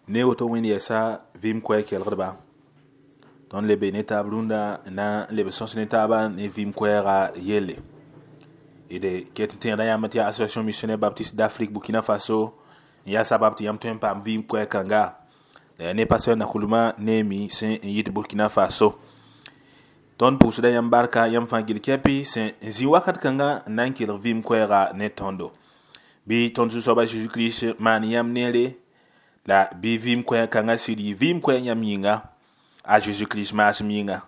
Ne woto wẽnd yɛsa vɩɩm koɛɛg kelgdba tõnd le be ne taab rũndã n na n leb sõs ne taabã ne vɩɩm koɛɛga yelle. D ket n tẽegda yãmb tɩ yaa Association Missionnaire Baptiste d'Afrique Burkina Faso n yaa sabab tɩ yãmb tõe n paam vɩɩm koɛɛg kãnga. La yaa ne pasteur Nakoulma Néhémie sẽn n yit Burkina Faso. Tõnd pʋʋsda yãmb barka yãmb fãa gil kɛpɩ sẽn n zĩ wakat kãngã n na n kelg vɩɩm koɛɛga ne tõndo. Bɩ tõnd Zu-soaba Zeezi Kirist maan yãmb neere la bɩ vɩɩm koɛɛg kãngã sɩd yɩ vɩɩm koɛɛg yãmb yĩnga a Zeezi Kirist maasem yĩnga.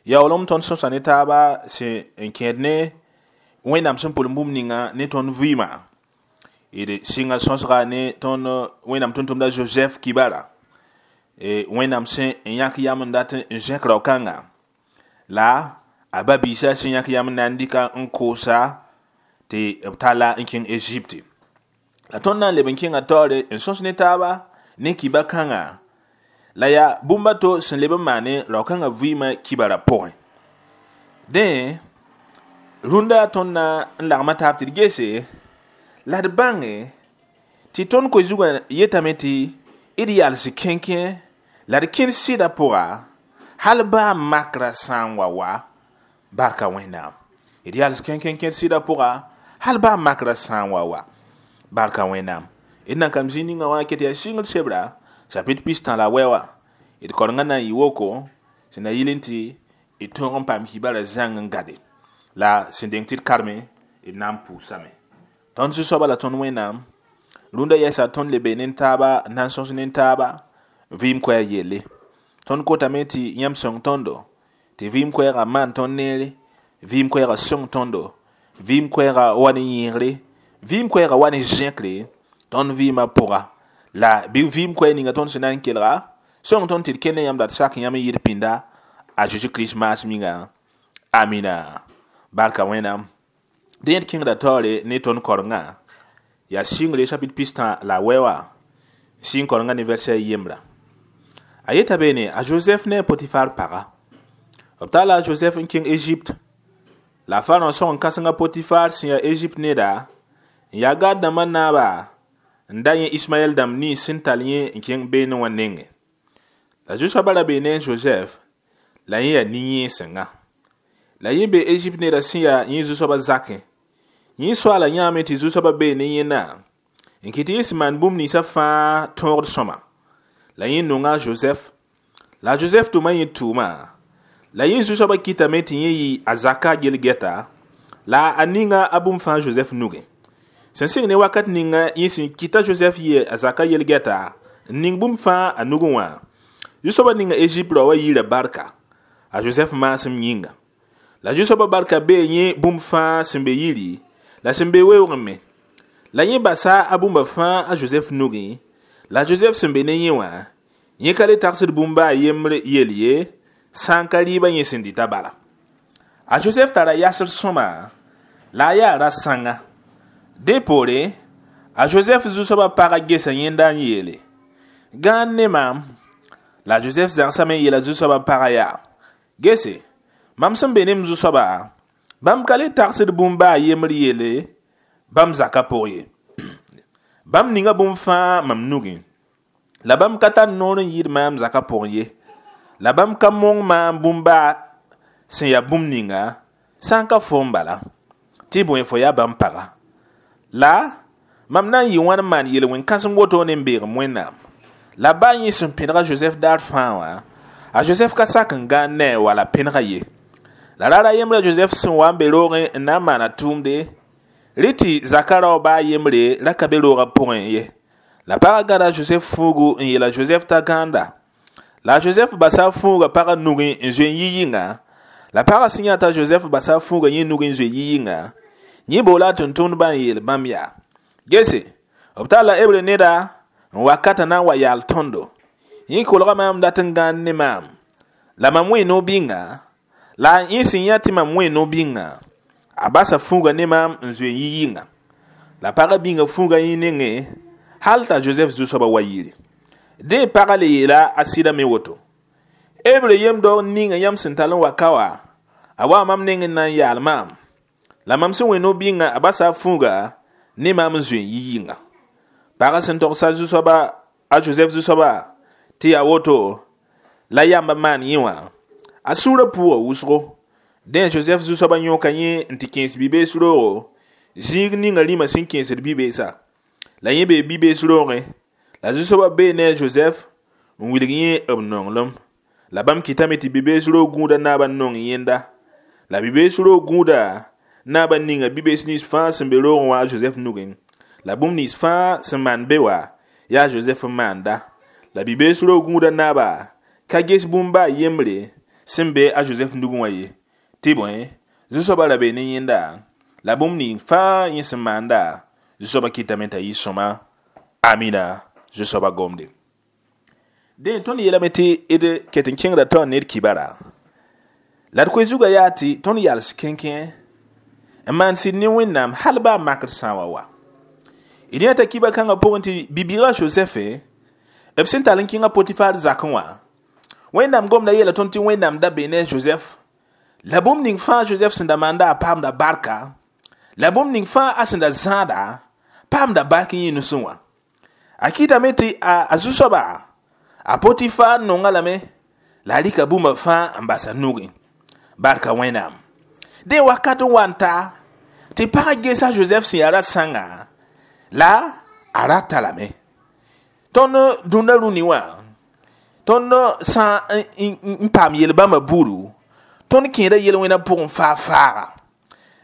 Yaoolem tõnd sõsa ne taaba sẽn n kẽed ne Wẽnnaam sẽn pʋlem bũmb ninga ne tõnd vɩɩmã. D sɩnga sõsga ne tõnd Wẽnnaam tʋm-tʋmda Joseph Kibara. Wẽnnaam sẽn n yãk yam n dat n zẽk rao-kãnga la a ba-biisã sẽn yãk yam n na n dɩka n koosa tɩ b talla n kẽng Egypte. La tõnd na n leb n kẽnga taoore n sõs ne taaba ne kiba kãngã la yaa bũmb a to sẽn leb n maane rao-kãngã vɩɩmã kibara pʋgẽ. Dẽ rũndã tõnd na n lagma taab tɩ d gese la d bãnge tɩ tõnd koe zugã yetame tɩ d yals kẽnkẽ la d kẽnd sɩdã pʋga hal baa makrã sã n wa wa barka Wẽnnaam. D yals kẽnkẽ kẽnd sɩdã pʋga hal baa makrã sã n wa wa barka Wẽnnaam. D nan kam zĩ ninga wã ket yaa sɩngd sebra chapitre pistã la wɛ wã. D korenga na n yɩ woko sẽn na yɩl n tɩ d tõog n paam kibara zãng n gade la sẽn deng tɩ d karme d na n pʋʋsame. Tõnd Zu-soaba la tõnd Wẽnnaam rũndã yɛsa tõnd le be ne taaba n na n sõs ne taaba vɩɩm koɛɛg yelle. Tõnd kotame tɩ yãmb sõng tõndo tɩ vɩɩm koɛɛga maan tõnd neere, vɩɩm koɛɛga sõng tõndo, vɩɩm koɛɛga wa ne yẽegre, vɩɩm koɛɛga wa ne zẽkre tõnd vɩɩmã pʋga. La bɩ vɩɩm koɛɛg ninga tõnd sẽn na n kelga sõng tõnd tɩ d kende yãmb la d sak yãmb n yɩɩd pĩnda a Zeezi Kirist maasem yĩnga. Amina. Barka Wẽnnaam. Dẽ d kẽngda taoore ne tõnd korenga yaa sɩngre chapitre pistã la wɛ wã sɩng korenga ne verset yembra. A yeta beene a Joseph ne a Potifar paga. B talla a Joseph n kẽng Egypte. La Pharaon sõng n kãseng a Potifar sẽn yaa Egypte neda n yaa gad dãmbã naaba n da yẽ Ismaɛl dãmb nins sẽn tall yẽ n kẽng beene wã nengẽ. La Zu-soabã ra bee ne a Joseph la yẽ yaa nin-yẽesenga. La yẽ bee Egypte neda sẽn yaa yẽ zu-soabã zakẽ. Yẽ soaala yãame tɩ zu-soabã bee ne yẽnda n kɩt tɩ yẽ sẽn maan bũmb ninsã fãa tõogd sõma. La yẽ nonga a Joseph. La a Joseph tʋma yẽ tʋʋma. La yẽ zu-soabã kɩtame tɩ yẽ yɩ a zaka gel-gɛta la a ninga a bũmb fãa Joseph nugẽ. Sẽn sɩng ne wakat ninga yẽ sẽn kɩta Joseph yɩ a zaka yel-gɛta n ning bũmb fãa a nugẽ wã. Zu-soabã ninga Egypte rao wã yiira barka a Joseph maasem yĩnga. La Zu-soabã barka bee yẽ bũmb fãa sẽn be yiri la sẽn be weoogẽ me. La yẽ basa a bũmba fãa a Joseph nugẽ la Joseph sẽn be ne yẽ wã yẽ ka le tagsd bũmba a yembr yel ye sã n ka rɩɩbã yẽ sẽn dɩta bala. A Joseph tara yasd sõma la a yaa ra-sãnga. Dẽ poore a Joseph zu-soabã pagã gesa yẽnda n yeele: gãan ne maam. La Joseph zãgsame n yeela zu-soabã pagã yaa: gese mam sẽn be ne m zu-soaba bãmb ka le tagsd bũmba a yembr yelle bãmb zakã pʋg ye. Bãmb ninga bũmb fãa mam nugẽ. La bãmb ka tar noor n yɩɩd maam zakã pʋgẽ ye. La bãmb ka mong maam bũmba sẽn yaa bũmb ninga sã n ka foom bala tɩ bõe fo yaa bãmb paga. La mam na n yɩ wãn n maan yel-wẽn-kãseng woto ne n beegem Wẽnnaam. La baa yẽ sẽn pẽdga Joseph daar fãa wã a Joseph ka sak n gãan ne a wala pẽnega ye. La raar a yembrã Joseph sẽn wa n be roogẽ n na n maana tʋʋmde rɩ tɩ zaka rao baa yembre ra ka be roogã pʋgẽ ye. La pagã gãda Joseph fuugu n yeela Joseph t'a gãanda. La Joseph basa a fuugã pagã nugẽ n zoe n yi yɩnga. La pagã sẽn yã t'a Joseph basa a fuugã yẽ nugẽ n zoe yi yɩnga, yẽ boola a tʋm-tʋmdbã n yeel bãmb yaa: gese b talla Hebre neda n wakata na n wa yaal tõndo. Yẽ kolga maam dat n gãan ne maam. La mam wẽ no-bĩnga la yẽ sẽn yã tɩ mam wẽ no-bĩnga a basa fuugã ne maam n zoe n yi yɩnga. La pagã bĩnga fuugã yẽ nengẽ hal t'a Joseph zu-soabã wa yire. Dẽ pagã le yeela a sɩda me woto: Hebre yem-dao ninga yãmb sẽn tall n wa ka wa a wa mam neng n na n yaal maam. La mam sẽn wẽ no-bĩnga a basa a fuuga ne maam n zoe n yi yɩnga. Pagã sẽn togsa zu-soabã A Josɛf zu-soaba tɩ yaa woto la yamba maan yẽ wã a sũurã pʋʋga wʋsgo. Dẽ Josɛf zu-soaba yõka yẽ n tɩ kẽes bi-bees roogo zĩig ninga rĩmã sẽn kẽesd bi-beesa. La yẽ bee bi-bees roogẽ la zu-soaba bee ne a Josɛf n wilg yẽ b nonglem. La bãmb kɩtame tɩ bi-bees roog gũudã naabã nong yẽnda. La bi-bees roog gũudã naabã ninga bi-bees nins fãa sẽn be roogẽ wã a Josɛf nugẽ. La bũmb nins fãa sẽn maan be wã yaa Josɛf n maanda. La bi-bees roog gũudã naaba ka ges bũmb baa yembre sẽn be a Josɛf nugẽ wã ye. Tɩ bõe, zu-soabã ra bee ne yẽnda la bũmb ning fãa yẽ sẽn maanda zu-soabã kɩtame t'a yɩ sõma. Amina, zu-soabã gomde. Dẽ tõnd yeelame tɩ d ket n kẽngda taoor ned kibara. La d koe zugã yaa tɩ tõnd yals kẽnkẽ n maan sɩd ne Wẽnnaam hal baa makr sã n wa wa. D yãta kiba kãngã pʋgẽ tɩ bibiigã Josɛfe b sẽn tall n kẽngã Potifar zakẽ wã Wẽnnaam gomda yeela tõnd tɩ Wẽnnaam da bee ne a Josɛf la bũmb ning fãa Josɛf sẽn da maanda a paamda barka la bũmb ning fãa a sẽn da zãada paamda bark yẽ nusẽ wã. A kɩtame tɩ a zu-soaba a Potifar nonga lame la a rɩka bũmba fãa n bas a nugẽ. Barka Wẽnnaam. Dẽ wakat n wa n ta tɩ pagã gesa Josɛf sẽn yaa ra-sãnga la a rata lame. Tõnd dũnna rũni wã tõnd sã n paam yel-bãmbã buudu tõnd kẽeda yel-wẽnã pʋgẽ faa-faaga.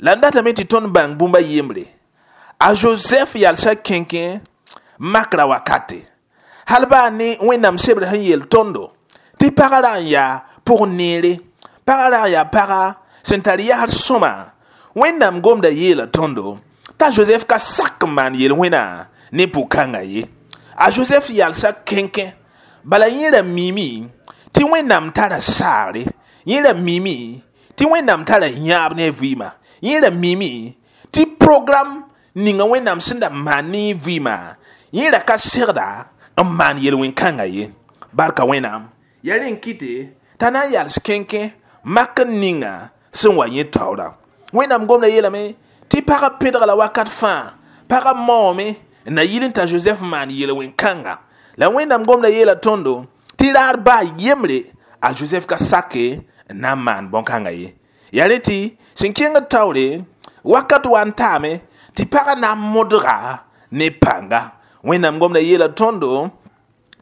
La n datame tɩ tõnd bãng bũmba yembre. A Josɛf yalsa kẽnkẽ makra wakate. Hal baa ne Wẽnnaam sebr sẽn yeel tõndo tɩ pagã ra n yaa pʋg neere, pagã ra n yaa paga sẽn tar yasr sõma. Wẽnnaam gomda yeela tõndo t'a Josɛf ka sak n maan yel-wẽnã ne pʋg-kãngã ye. A Josɛf yalsa kẽnkẽ bala yẽ ra miime tɩ Wẽnnaam tara saagre, yẽ ra miime tɩ Wẽnnaam tara yãab ne a vɩɩmã, yẽ ra miime tɩ program ninga Wẽnnaam sẽn da maan ne vɩɩmã yẽ ra ka segda n maan yel-wẽn-kãngã ye. Barka Wẽnnaam. Yaa rẽ n kɩte t'a na n yals kẽnkẽ mak n ninga sẽn wa yẽ taoora. Wẽnnaam gomda yeelame tɩ pagã pẽdga la wakat fãa pagã maoome n na yɩl n t'a Josɛf maan yel-wẽn-kãnga. La Wẽnnaam gomda yeela tõndo tɩ raar baa yembre a Josɛf ka sake n na n maan bõn-kãngã ye. Yaa rẽ tɩ sẽn kẽngd taoore wakat wa n taame tɩ pagã na n modga ne pãnga. Wẽnnaam gomda yeela tõndo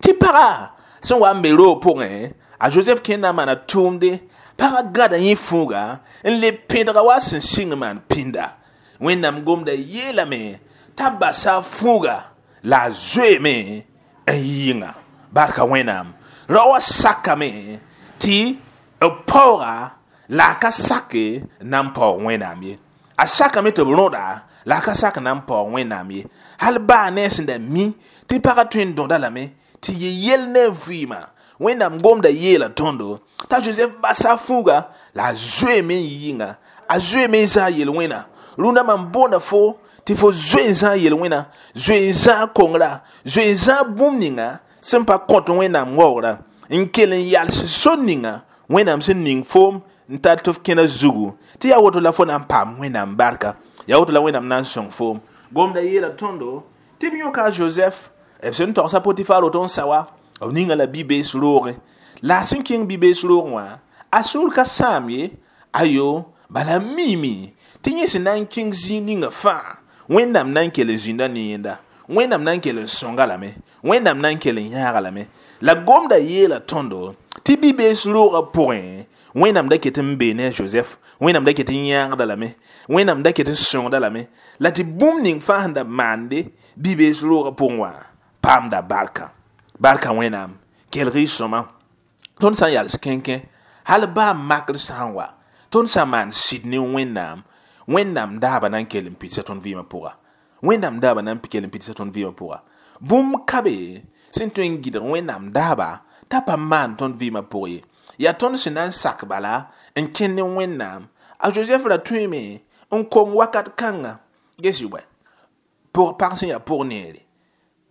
tɩ pagã sẽn wa n be roog pʋgẽ a Josɛf kẽnd na n maana tʋʋmde pagã gãda yẽ fũuga n le pẽdga wa sẽn sɩng maan pĩnda. Wẽnnaam gomda yeelame t'a basa fũuga la a zoeeme n yɩnga. Barka Wẽnnaam. Rao wã sakame tɩ b paooga la a ka sake n na n paoog Wẽnnaam ye. A sakame tɩ b rõda la a ka sak n na n paoog Wẽnnaam ye. Hal baa ne a sẽn da mi tɩ pagã tõe n dõda lame tɩ yɩ yel ne a vɩɩmã. Wẽnnaam gomda yeela tõndo t'a Josɛf basa fũuga la a zoeeme n yɩnga. A zoeeme n zãag yel-wẽnã. Rũndã mam boonda fo tɩ fo zoe n zãag yel-wẽnã, zoe n zãag kongrã, zoe n zãag bũmb ninga sẽn pa kõt Wẽnnaam waoogrã n kell n yals sor ninga Wẽnnaam sẽn ning foom n tar tɩ f kẽna zugu tɩ yaa woto la fo na n paam Wẽnnaam barka, yaa woto la Wẽnnaam na n sõng foom. Gomda yeela tõndo tɩ b yõka a Josɛf b sẽn togsa Potifar woto n sa wa b ninga la bi-bees roogẽ. La a sẽn kẽng bi-bees roogẽ wã a sũur ka sãam ye ayo bala a miime tɩ yẽ sẽn na n kẽng zĩig ninga fãa Wẽnnaam na n kell n zĩnda ne yẽnda, Wẽnnaam na n kell n sõnga lame, Wẽnnaam na n kell n yãaga lame. La gomda yeela tõndo tɩ bi-bees roogã pʋgẽ Wẽnnaam da ket n bee ne a Josɛf, Wẽnnaam da ket n yãagda lame, Wẽnnaam da ket n sõngda lame la tɩ bũmb ning fãa sẽn da maande bi-bees roogã pʋgẽ wã paamda barka. Barka Wẽnnaam. Kelg y sõma. Tõnd sã n yals kẽnkẽ hal baa makr sã n wa tõnd sã n maan sɩd ne Wẽnnaam, Wẽnnaam daaba na n kell n pidsa tõnd vɩɩmã pʋga. Wẽnnaam daaba na n kell n pidsa tõnd vɩɩmã pʋga. Bũmb ka be sẽn tõe n gɩdg Wẽnnaam daaba t'a pa maan tõnd vɩɩmã pʋg ye. Yaa tõnd sẽn na n sak bala n kẽnd ne Wẽnnaam. A Josɛf ra tõeeme n kong wakat kãnga. Ges bõe pag sẽn yaa pʋg neere,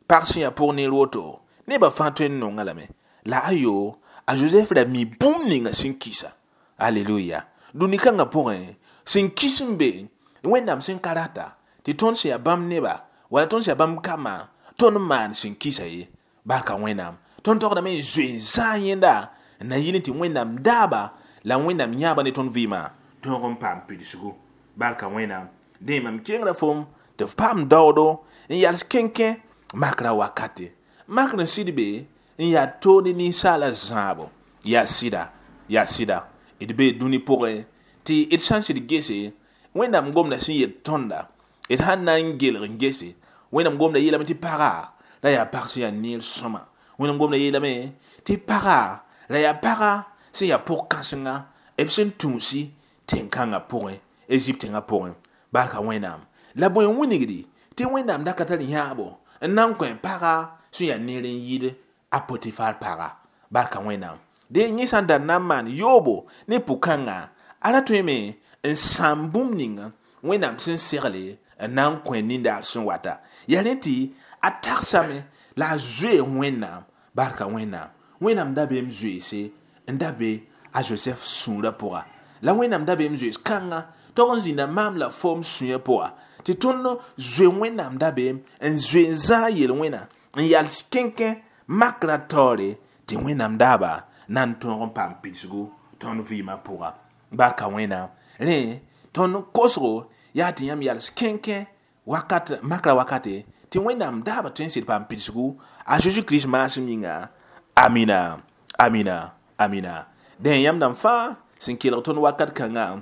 pag sẽn yaa pʋg neer woto nebã fãa tõe n nonga lame. La ayo a Josɛf ra mi bũmb ninga sẽn kisa. Aleluya. Dũni kãngã pʋgẽ sẽn kis n be Wẽnnaam sẽn ka rata tɩ tõnd sẽn yaa bãmb neba wala tõnd sẽn yaa bãmb kambã tõnd n maan sẽn kisa ye. Barka Wẽnnaam. Tõnd togdame n zoe n zãag yẽnda n na yɩl tɩ Wẽnnaam daaba la Wẽnnaam yãaba ne tõnd vɩɩmã tõog n paam pidsgu. Barka Wẽnnaam. Dẽ mam kengra fom tɩ f paam daoodo n yals kẽnkẽ makra wakate. Makr n sɩd be n yaa toog ne ninsaala zãabo. Yaa sɩda, yaa sɩda. D bee dũni pʋgẽ tɩ d sã n sɩd gese Wẽnnaam gomda sẽn yel tõnda, d sãn na n gelg n gese Wẽnnaam gomda yeelame tɩ paga la yaa pag sẽn yaa neer sõma. Wẽnnaam gomda yeelame tɩ paga la yaa paga sẽn yaa pʋg-kãsenga b sẽn tũusi tẽn-kãngã pʋgẽ, Egypte tẽngã pʋgẽ. Barka Wẽnnaam. La bõe n wilgdi tɩ Wẽnnaam da ka tar yãabo n na n kõ paga sẽn yaa neer n yɩɩd a Potifar paga. Barka Wẽnnaam. Dẽ yẽ sã n da na n maan yoobo ne pʋ-kãnga, a ra tõeme n sãam bũmb ninga Wẽnnaam sẽn segle n na n kõ nindaar sẽn wata. Yaa rẽ tɩ a tagsame la a zoee Wẽnnaam. Barka Wẽnnaam. Wẽnnaam dabeem zoeese n da be a Josɛf sũurã pʋga. La Wẽnnaam dabeem zoees kãnga tog n zĩnda maam la fom sũyã pʋga tɩ tõnd zoe Wẽnnaam dabeem n zoe n zãag yel-wẽna n yals kẽnkẽ makra taoore tɩ Wẽnnaam daaba na n tõog n paam pidsgu tõnd vɩɩmã pʋga. Barka Wẽnnaam. Rẽ tõnd kosgo yaa tɩ yãmb yals kẽnkẽ wakat makra wakate tɩ Wẽnnaam daaba tõe n sɩd paam pidsgu a Zeezi Kirist maasem yĩnga. Amina, amina, amina. Dẽ yãmb dãmb fãa sẽn kelg tõnd wakat kãnga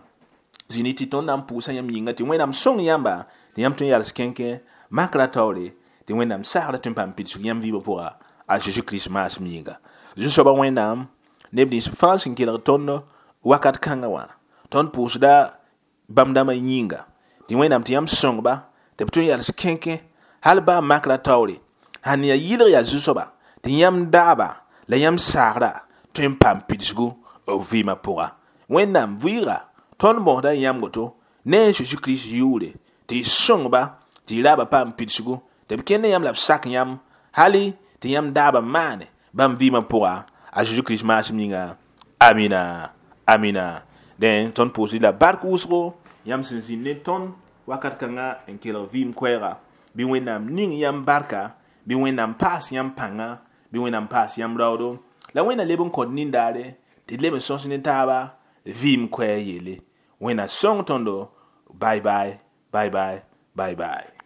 zĩni tɩ tõnd na n pʋʋsa yãmb yĩnga tɩ Wẽnnaam sõng yãmba tɩ yãmb tõe n yals kẽnkẽ makra taoore tɩ Wẽnnaam sagra tõe n paam pidsg yãmb vɩɩmã pʋga a Zeezi Kirist maasem yĩnga. Zu-soaba Wẽnnaam, neb nins fãa sẽn kelg tõnd wakat kãngã wã, tõnd pʋʋsda bãmb dãmbã yĩnga tɩ Wẽnnaam tɩ yãmb sõngba tɩ b tõe n yals kẽnkẽ hal baa makra taoore sãn yaa yɩlg yaa zu-soaba tɩ yãmb daaba la yãmb saagra tõe n paam pidsgu b vɩɩmã pʋga. Wẽnnaam vɩɩga tõnd mosda yãmb woto ne a Zeezi Kirist yʋʋre tɩ y sõngba tɩ y raaba paam pidsgu tɩ b kẽnd yãmb la b sak yãmb hali tɩ yãmb daaba maane bãmb vɩɩmã pʋga a Zeezi Kirist maasem yĩnga. Amina, amina. Dẽ tõnd pʋʋsd la bark wʋsgo yãmb sẽn zĩnd ne tõnd wakat kãnga n kelg vɩɩm koɛɛga. Bɩ Wẽnnaam ning yãmb barka, bɩ Wẽnnaam paas yãmb pãnga, bɩ Wẽnnaam paas yãmb raoodo, la Wẽnnaam leb n kõt nindaare tɩ d leb n sõs ne taaba vɩɩm koɛɛg yelle. Wẽnnaam sõng tõndo. Bye bye, bye bye, bye bye.